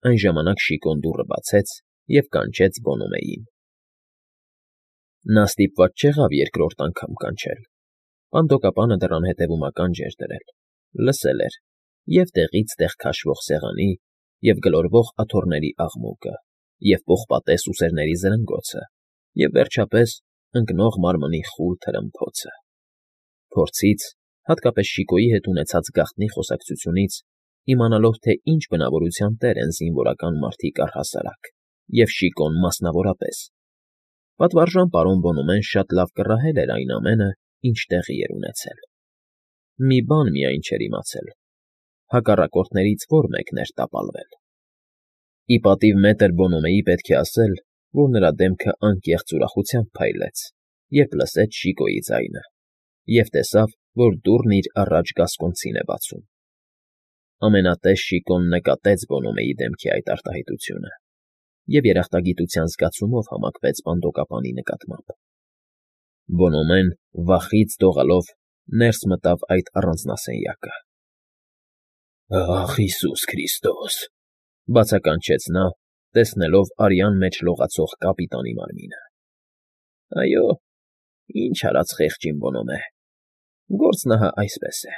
Այն ժամանակ Շիկոն դուռը բացեց և կանչեց Բոնոմեին։ Նա ստիպված չեղավ երկրորդ անգամ կանչել. պանդոկապանը դռան հետևում ականջ էր դրել, լսել էր և տեղից տեղ քաշվող սեղանի և գլորվող աթոռների աղմուկը, և պողպատե սուսերների զրնգոցը, և, վերջապես, ընկնող մարմնի խուլ թրմփոցը։ Փորձից, հատկապես Շիկոյի հետ ունեցած գաղտնի խոսակցությունից, իմանալով, թե ինչ բնավորության տեր են զինվորական մարդիկ առհասարակ, և Շիկոն մասնավորապես, պատվարժան պարոն Բոնոմեն շատ լավ կռահել էր այն ամենը, ինչ տեղի էր ունեցել։ Մի բան միայն չէր իմացել. հակառակորդներից ո՞ր մեկն էր տապալվել։ Ի պատիվ մետր Բոնոմեի պետք է ասել, որ նրա դեմքը անկեղծ ուրախությամբ փայլեց, երբ լսեց Շիկոյի ձայնը, և տեսավ, որ դուռն իր առաջ գասկոնցին է բացում։ Ամենատես Շիկոն նկատեց Բոնոմեի դեմքի այդ արտահայտությունը և երախտագիտության զգացումով համակվեց պանդոկապանի նկատմամբ։ Բոնոմեն, վախից դողալով, ներս մտավ այդ առանձնասենյակը։ «Ախ, Հիսուս Քրիստոս,֊ բացականչեց նա, տեսնելով արյան մեջ լողացող կապիտանի մարմինը։ Այո, ինչ արած խեղճին Բոնոմե, գործն ահա այսպես է.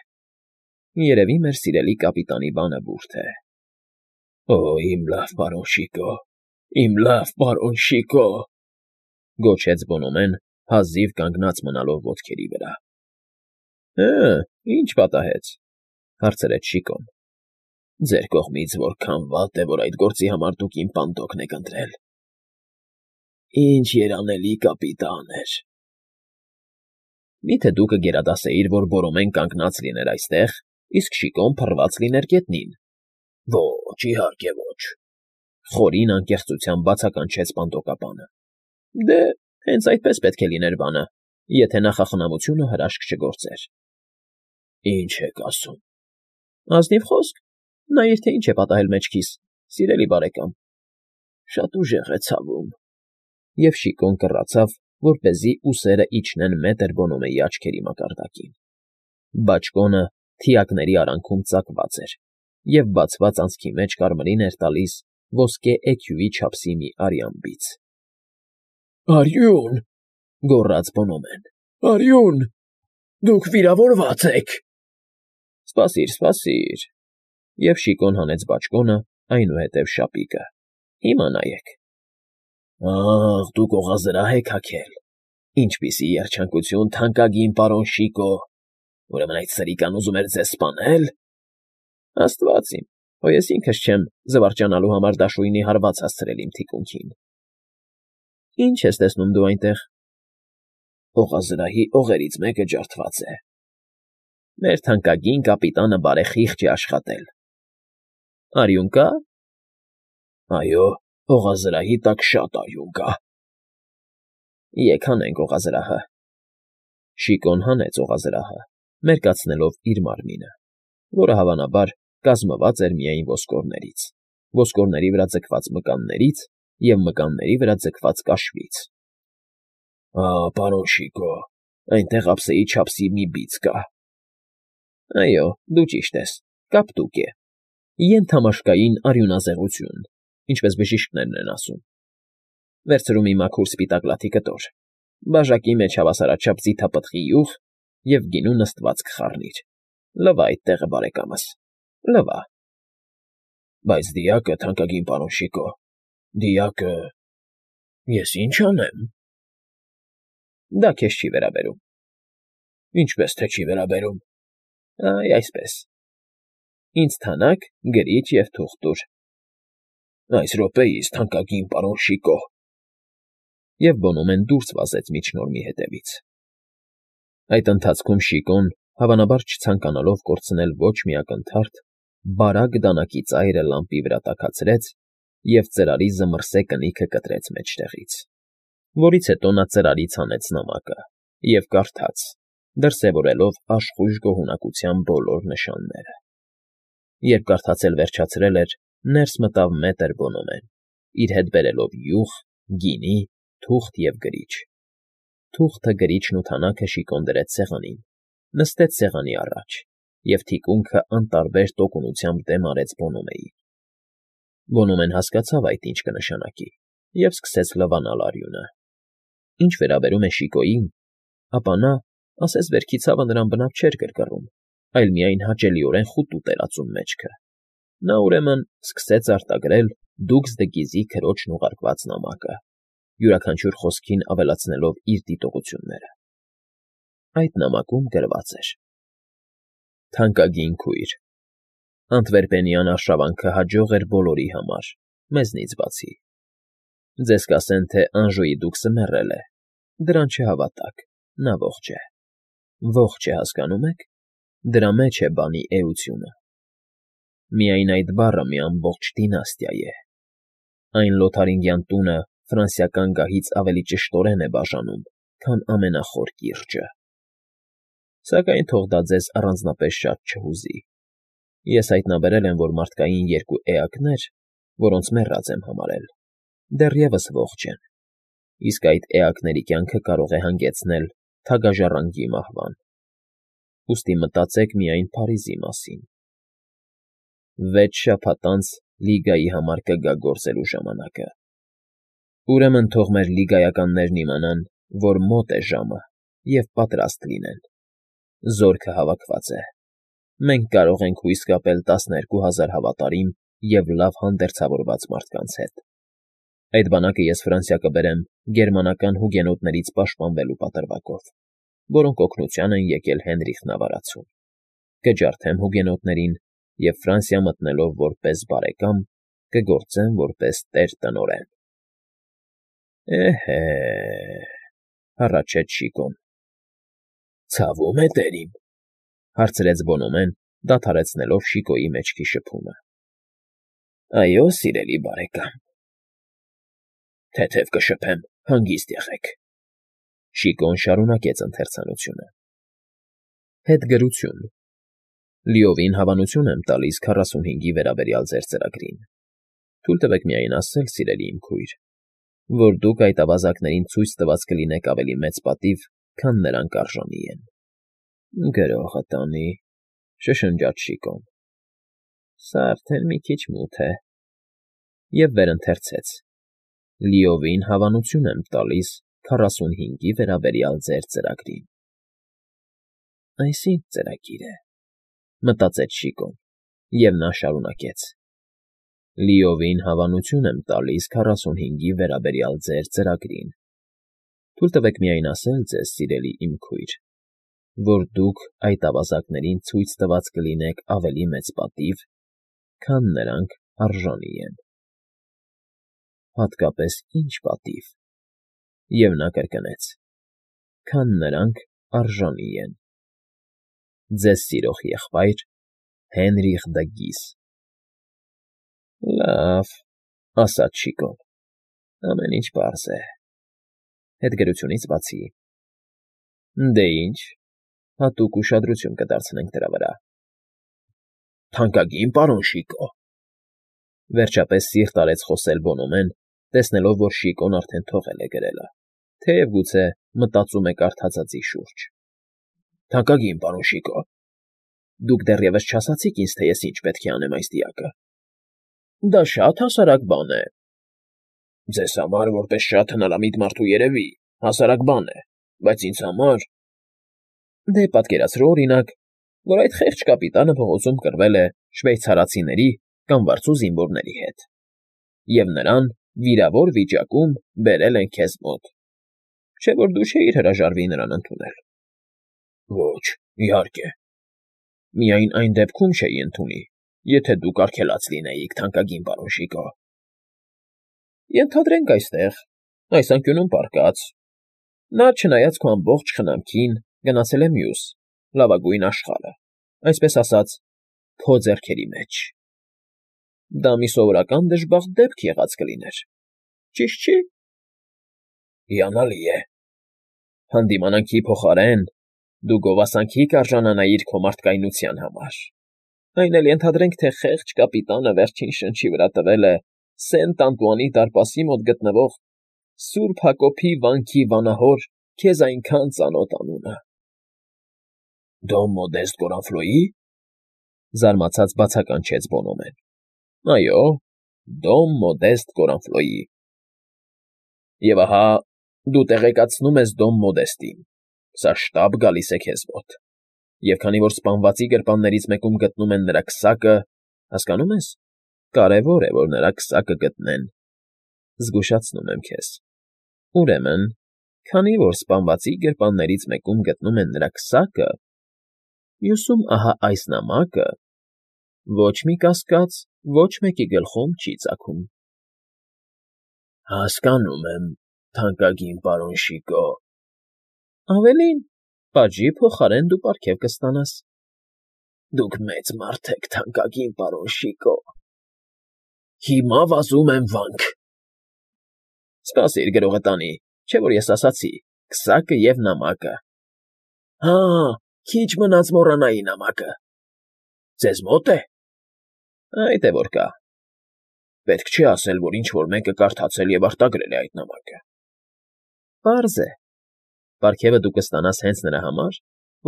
երևի մեր սիրելի կապիտանի բանը բուրդ է»։ «Օ, իմ լավ պարոն Շիկո, իմ լավ պարոն Շիկո…֊ գոչեց Բոնոմեն, հազիվ կանգնած մնալով ոտքերի վրա։ «Հը, ի՞նչ պատահեց,֊ հարցրեց Շիկոն։ Ձեր կողմից որքան վատ է, որ այդ գործի համար դուք իմ պանդոկն եք ընտրել։ Ինչ երանելի կապիտան էր…» Մի՞թե դու կգերադասեիր, որ Բորոմեն կանգնած լիներ այստեղ, իսկ Շիկոն փռված լիներ գետնին։ Ոչ, իհարկե ոչ…֊ խորին անկեղծությամբ բացականչեց պանդոկապանը։ Դե, հենց այդպես պետք է լիներ բանը, եթե նախախնամությունը հրաշք չգործեր։ Ինչ եք ասում… Ազնիվ խոսք, նայիր, թե ինչ է պատահել մեջքիս, սիրելի բարեկամ… Շատ ուժեղ է ցավում… Եվ Շիկոն կռացավ, որպեսզի ուսերը իջնեն մետր Բոնոմեի աչքերի մակարդակին։ Բաճկոնը թիակների արանքում ծակված էր, և բացված անցքի մեջ կարմիրին էր տալիս ոսկե էքյուի չափսի մի արյան բիծ։ Արյուն…֊ գոռաց Բոնոմեն։֊ Արյուն… Դուք վիրավորված եք… Սպասիր, սպասիր…֊ Եվ Շիկոն հանեց բաճկոնը, այնուհետև շապիկը։ Հիմա նայեք… Ախ, դուք օղազրահ եք հագել… Ինչպիսի երջանկություն, թանկագին պարոն Շիկո… Ուրեմն այդ սրիկան ուզում էր ձեզ սպանե՞լ… Աստված իմ, հո ես ինքս չեմ զվարճանալու համար դաշույնի հարված հասցրել իմ թիկունքին… Ի՞նչ ես տեսնում դու այնտեղ… Օղազրահի օղերից մեկը ջարդված է… Մեր թանկագին կապիտանը բարեխիղճ է աշխատել… Արյուն կա՞… Այո, օղազրահի տակ շատ արյուն կա… Եկ հանենք օղազրահը… Շիկոն հանեց օղազրահը, մերկացնելով իր մարմինը, որը, հավանաբար, կազմված էր միայն ոսկորներից, ոսկորների վրա ձգված մկաններից և մկանների վրա ձգված կաշվից։ Պարոն Շիկո, այնտեղ ափսեի չափսի մի բիծ կա… Այո, դու ճիշտ ես, կապտուկ է… Ենթամաշկային արյունազեղություն, ինչպես բժիշկներն են ասում… Վերցրու մի մաքուր սպիտակ լաթի կտոր, բաժակի մեջ հավասարաչափ ձիթապտղի յուղ և գինու նստվածք խառնիր… Լվա այդ տեղը, բարեկամս, լվա… Բայց դիակը, թանկագին պարոն Շիկո, դիակը… Ես ի՞նչ անեմ… Դա քեզ չի վերաբերում… Ինչպես թե չի վերաբերում… Այ այսպես… Ինձ թանաք, գրիչ և թուղթ տուր… Այս րոպեիս, թանկագին պարոն Շիկո… Եվ Բոնոմեն դուրս վազեց միջնորմի հետևից… Այդ ընթացքում Շիկոն, հավանաբար չցանկանալով կորցնել ոչ մի ակնթարթ, բարակ դանակի ծայրը լամպի վրա տաքացրեց և ծրարի զմռսե կնիքը կտրեց մեջտեղից, որից հետո նա ծրարից հանեց նամակը և կարդաց, դրսևորելով աշխույժ գոհունակության բոլոր նշանները։ Երբ կարդացել վերջացրել էր, ներս մտավ մետր Բոնոմեն, իր հետ բերելով յուղ, գինի, թուղթ և գրիչ։ Թուղթը, գրիչն ու թանաքը Շիկոն դրեց սեղանին, նստեց սեղանի առաջ և թիկունքը անտարբեր տոկունությամբ դեմ արեց Բոնոմեին։ Բոնոմեն հասկացավ այդ ինչ կնշանակի և սկսեց լվանալ արյունը։ Ինչ վերաբերում է Շիկոյին, ապա նա, ասես վերքի ցավը նրան բնավ չէր գրգռում, այլ միայն հաճելիորեն խուտուտ էր ածում մեջքը։ Նա, ուրեմն, սկսեց արտագրել Դուգս-դը-Գիզի քրոջն ուղարկած նամակը, յուրաքանչյուր խոսքին ավելացնելով իր դիտողությունները։ Այդ նամակում գրված էր. Թանկագին քույր, Անտվերպենյան արշավանքը հաջող էր բոլորի համար, մեզնից բացի։ Ձեզ կասեն, թե Անժոյի Դուգսը մեռել է, դրան չհավատաք, նա ողջ է։ Ողջ է, հասկանում եք, դրա մեջ է բանի էությունը։ Միայն այդ բառը մի ամբողջ դինաստիա է։ Այն Լոթարինգյան տունը ֆրանսիական գահից ավելի ճշտորեն է բաժանում, քան ամենախոր կիրճը։ Սակայն թող դա ձեզ առանձնապես շատ չհուզի։ Ես հայտնաբերել եմ, որ մարդկային երկու էակներ, որոնց մեռած եմ համարել, դեռևս ողջ են, իսկ այդ էակների կյանքը կարող է հանգեցնել թագաժառանգի մահվան։ Ուստի մտածեք միայն Փարիզի մասին։ 6 շաբաթ անց Լիգայի համար կգա գործելու ժամանակը։ Ուրեմն թող մեր լիգայականներն իմանան, որ մոտ է ժամը և պատրաստ լինեն։ Զորքը հավաքված է։ Մենք կարող ենք հույս կապել 12,000 հավատարիմ և լավ հանդերձավորված մարդկանց հետ։ Այդ բանակը ես Ֆրանսիա կբերեմ գերմանական հուգենոտներից պաշտպանվելու պատրվակով, որոնք օգնության են եկել Հենրիխն ավարացուն։ Կջարդեմ հուգենոտներին և Ֆրանսիա մտնելով որպես բարեկամ, կգործեմ որպես տեր տնօրեն։ Էհե, հառաչեց Շիկոն։ Ցավում է, տերիմ, հարցրեց Բոնոմեն, դադարեցնելով Շիկոյի մեջքի շփումը։ Այո, սիրելի բարեկամ։ Թեթև կշփեմ, հանգիստ եղեք։ Շիկոն շարունակեց ընթերցանությունը։ Հետգրություն։ Լիովին հավանություն եմ տալիս 45-ի վերաբերյալ ձեր ծրագրին։ Թույլ տվեք միայն ասել, սիրելի իմ քույր, որ դուք այդ ավազակներին ցույց տված կլինեք ավելի մեծ պատիվ, քան նրանք արժանի են։ Գրողը տանի, շշնջաց Շիկոն։ Սա արդեն մի քիչ մութ է։ Եվ վերընթերցեց. Լիովին հավանություն եմ տալիս 45-ի վերաբերյալ ձեր ծրագրին։ Այս ինչ ծրագիր է, մտածեց Շիկոն, և նա շարունակեց. Լիովին հավանություն եմ տալիս 45-ի վերաբերյալ ձեր ծրագրին։ Թույլ տվեք միայն ասել ձեզ, սիրելի իմ քույր, որ դուք այդ ավազակներին ցույց տված կլինեք ավելի մեծ պատիվ, քան նրանք արժանի են։ Հատկապես ինչ պատիվ։ Եվ նա կրկնեց. քան նրանք արժանի են։ Ձեզ սիրող եղբայր Հենրիխ դը Գիզ։ Լավ, ասաց Շիկոն, ամեն ինչ պարզ է։ Հետգրությունից բացի։ Դե ինչ, հատուկ ուշադրություն կդարձնենք դրա վրա։ Թանկագին պարոն Շիկո։ Վերջապես սիրտ արեց խոսել Բոնոմեն, տեսնելով, որ Շիկոն արդեն թողել է գրելը, թեև գուցե մտածում է կարդացածի շուրջ։ Թանկագին պարոն Շիկո, դուք դեռևս չասացիք ինձ, թե ես ինչ պետք է անեմ այս դիակը։ Դա շատ հասարակ բան է։ Ձեզ համար, որպես շատ հնարամիտ մարդու երևի, հասարակ բան է, բայց ինձ համար… Դե պատկերացրու, օրինակ, որ այդ խեղճ կապիտանը փողոցում կռվել է շվեյցարացիների կամ վարձու զինվորների հետ, և նրան վիրավոր վիճակում բերել են քեզ մոտ, չէ՞ որ դու չէիր հրաժարվի նրան ընդունել։ Ոչ, իհարկե։ Միայն այն դեպքում չէի ընդունի, եթե դուք արգելած լինեիք, թանկագին պարոն Շիկո։ Ենթադրենք այստեղ, այս անկյունում պառկած, նա, չնայած քո ամբողջ խնամքին, գնացել է մյուս, լավագույն աշխարհը, այսպես ասած, քո ձեռքերի մեջ։ Դա մի սովորական դժբախտ դեպք եղած կլիներ, ճիշտ չի։ Հիանալի է։ Հանդիմանանքի փոխարեն դու գովասանքի կարժանանայիր քո մարդկայնության համար։ Այն էլ ենթադրենք, թե խեղճ կապիտանը վերջին շնչի վրա տվել է Սենտ Անտուանի դարպասի մոտ գտնվող Սուրբ Հակոբի վանքի վանահոր քեզ այնքան ծանոթ անունը։ Դոն Մոդեստ Գորանֆլոյի՞… զարմացած բացականչեց Բոնոմեն։ Այո, Դոմ Մոդեստ Կորանֆլոյի։ Եվ ահա դու տեղեկացնում ես Դոմ Մոդեստին, սա շտապ գալիս է քեզ մոտ, և քանի որ սպանվածի գրպաններից մեկում գտնում են նրա քսակը, հասկանո՞ւմ ես, կարևոր է, որ նրա քսակը գտնեն, զգուշացնում եմ քեզ, ուրեմն, քանի որ սպանվածի գրպաններից մեկում գտնում են նրա քսակը, մյուսում ահա այս նամակը, ոչ մի կասկած ոչ մեկի գլխում չի ծագում։ Հասկանում եմ, թանկագին պարոն Շիկո։ Ավելին, պատժի փոխարեն դու պարգև կստանաս։ Դուք մեծ մարդ եք, թանկագին պարոն Շիկո։ Հիմա վազում եմ վանք։ Սպասիր, գրողը տանի, չէ՞ որ ես ասացի, քսակը և նամակը։ Հա, քիչ մնաց մոռանայի նամակը։ Ձեզ մոտ է։ Այդ է որ կա։ Պետք չի ասել, որ ինչ-որ մեկը կարդացել և արտագրել է այդ նամակը։ Պարզ է։ Պարգևը դու կստանաս հենց նրա համար,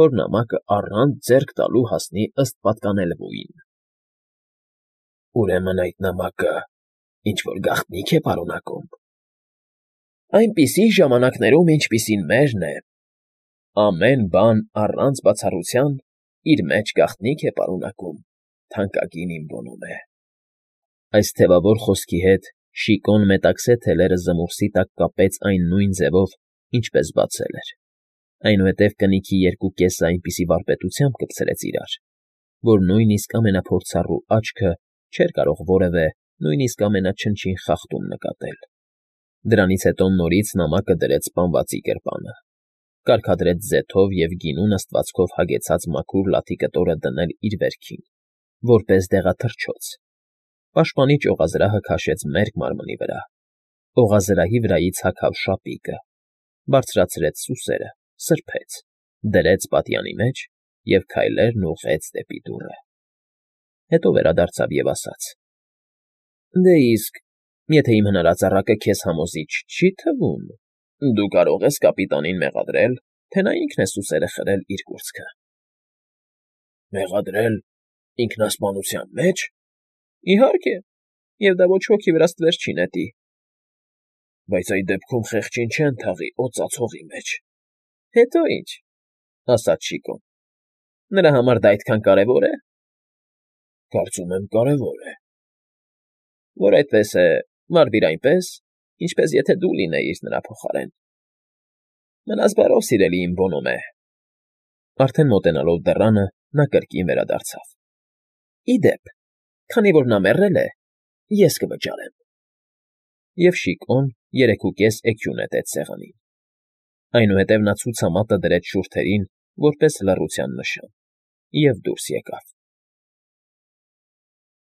որ նամակը առանց ձեռք տալու հասնի ըստ պատկանելվույն։ Ուրեմն այդ նամակը ինչ֊որ գաղտնիք է պարունակում։ Այնպիսի ժամանակներում, ինչպիսին մերն է, ամեն բան առանց բացառության իր մեջ գաղտնիք է պարունակում, թանկագին իմ Բոնոմե։ Այս թևավոր խոսքի հետ Շիկոն մետաքսե թելերը զմուռսի տակ կապեց այն նույն ձևով, ինչպես բացել էր, այնուհետև կնիքի երկու կեսը այնպիսի վարպետությամբ կպցրեց իրար, որ նույնիսկ ամենափորձառու աչքը չէր կարող որևէ, նույնիսկ ամենաչնչին խախտում նկատել։ Դրանից հետո նորից նամակը դրեց սպանվածի գրպանը, կարգադրեց ձեթով և գինու նստվածքով հագեցած մաքուր լաթի կտորը դնել իր վերքին, որպես դեղաթռչոց, պաշտպանի ճյուղազրահը քաշեց մերկ մարմնի վրա, օղազրահի վրայից հագավ շապիկը, բարձրացրեց սուսերը, սրբեց, դրեց պատյանի մեջ և քայլերն ուղղեց դեպի դուռը։ Հետո վերադարձավ և ասաց. Դե իսկ, եթե իմ հնարածառակը քեզ համոզիչ չի թվում, դու կարող ես կապիտանին մեղադրել, թե նա ինքն է սուսերը խրել իր կուրծքը։ Մեղադրել ինքնասպանության մեջ։ Իհարկե, և դա ոչ ոքի վրա ստվեր չի նետի։ Բայց այդ դեպքում խեղճին չեն թաղի օծած հողի մեջ։ Հետո ինչ, ասաց Շիկոն։ Նրա համար դա այդքան կարևոր է։ Կարծում եմ կարևոր է։ Որ այդպես է, վարվիր այնպես, ինչպես եթե դու լինեիր նրա փոխարեն։ Մնաս բարով, սիրելի իմ Բոնոմե։ Արդեն մոտենալով դռանը, նա կրկին վերադարձավ։ Ի դեպ, քանի որ նա մեռել է, ես կվճարեմ։ Եվ Շիկոն 3.5 էքյուն նետեց սեղանին։ Այնուհետև նա ցուցամատը դրեց շուրթերին որպես լռության նշան և դուրս եկավ։